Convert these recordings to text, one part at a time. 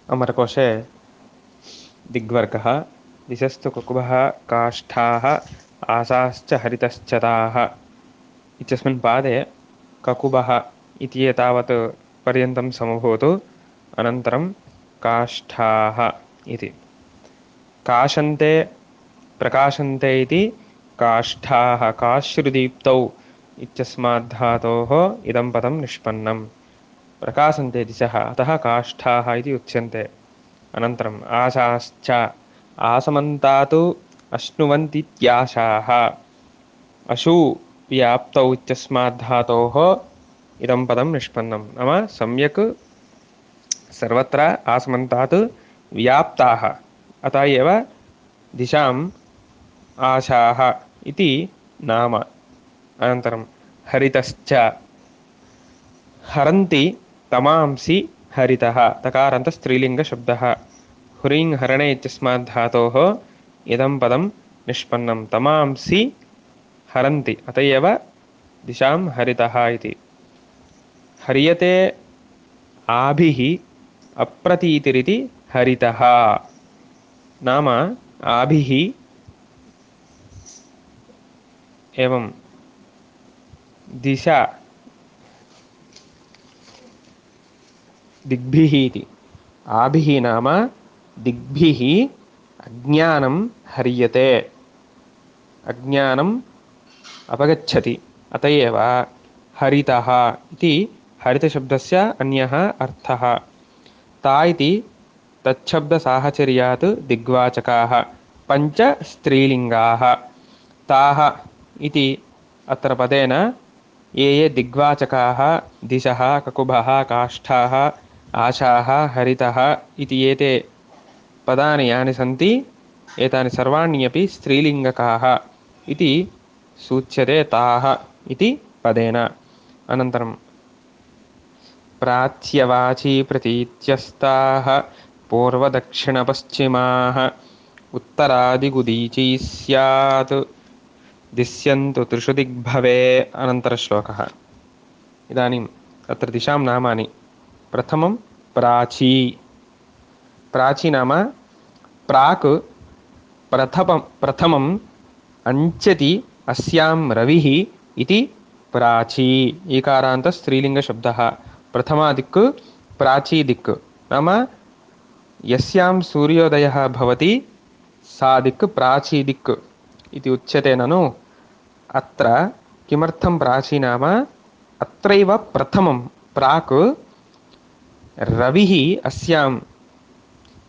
अमरकोशे दिग्वर्गः दिशस्तु कुकुभः काष्ठाः आसाश्च हरितश्चताः इत्यस्मिन् पादे ककुभः इति एतावत् पर्यन्तं समभूत् अनन्तरं काष्ठाः इति काशन्ते प्रकाशन्ते इति काष्ठाः काश्रुदीप्तौ इत्यस्माद् धातोः इदं पदं निष्पन्नम् प्रकाशन्ते दिशः अतः काष्ठाः इति उच्यन्ते अनन्तरम् आशाश्च आसमन्तात् अश्नुवन्तीत्याशाः अशु व्याप्तौ इत्यस्माद् धातोः इदं पदं निष्पन्नं नाम सम्यक् सर्वत्र आसमन्तात् व्याप्ताः अतः एव दिशाम् आशाः इति नाम अनन्तरं हरितश्च हरन्ति तमांसि हरितः तकारान्त स्त्रीलिङ्गशब्दः हुरिङ् हरणे इत्यस्माद् धातोः इदं पदं निष्पन्नं तमांसि हरन्ति अत एव दिशां हरितः इति हर्यते आभिः अप्रतीतिरिति हरितः नाम आभिः एवं दिशा दिग्भिः इति आभिः नाम दिग्भिः अज्ञानं हर्यते अज्ञानम् अपगच्छति अत एव हरितः इति हरितशब्दस्य अन्यः अर्थः ता इति तच्छब्दसाहचर्यात् दिग्वाचकाः पञ्च स्त्रीलिङ्गाः ताः इति अत्र पदेन ये ये दिग्वाचकाः दिशः ककुभः काष्ठाः आशाः हरितः इति एते पदानि यानि सन्ति एतानि सर्वाण्यपि स्त्रीलिङ्गकाः इति सूच्यते ताः इति पदेन अनन्तरं प्राच्यवाची प्रतीत्यस्ताः पूर्वदक्षिणपश्चिमाः उत्तरादिगुदीची स्यात् दिश्यन्तु त्रिषु दिग्भवे अनन्तरश्लोकः इदानीं तत्र दिशां नामानि प्रथमं प्राची प्राची नाम प्राक् प्रथमम् अंचति अस्यां रविः इति प्राची ईकारान्त स्त्रीलिङ्गशब्दः प्रथमा दिक् प्राची दिक् नाम यस्यां सूर्योदयः भवति सा दिक् प्राची दिक् इति उच्यते ननु अत्र किमर्थं प्राची नाम अत्रैव प्रथमं प्राक् रविः अस्यां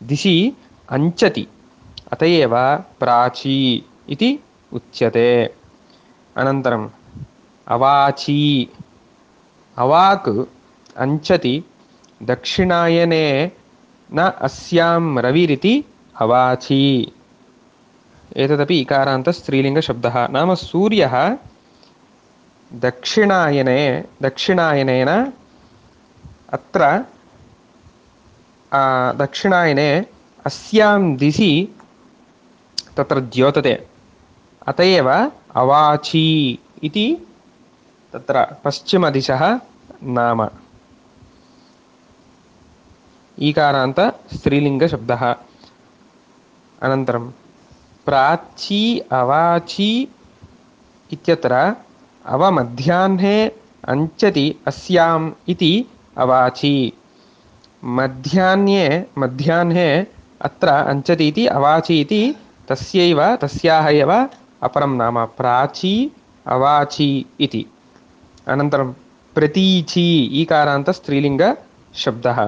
दिशि अंचति अत एव प्राची इति उच्यते अनन्तरम् अवाची अवाक् अंचति दक्षिणायने न अस्यां रविरिति अवाची एतदपि इकारान्त स्त्रीलिङ्गशब्दः नाम सूर्यः दक्षिणायनेन अत्र दक्षिणायने अस्यां दिशि तत्र द्योतते अत एव अवाची इति तत्र पश्चिमदिशः नाम ईकारान्त स्त्रीलिङ्गशब्दः अनन्तरं प्राची अवाची इत्यत्र अवमध्याह्ने अंचति अस्याम् इति अवाची मध्याह्ने अत्र अंचति इति अवाची इति तस्याः एव अपरं नाम प्राची अवाची इति अनन्तरं प्रतीची ईकारान्त स्त्रीलिङ्गशब्दः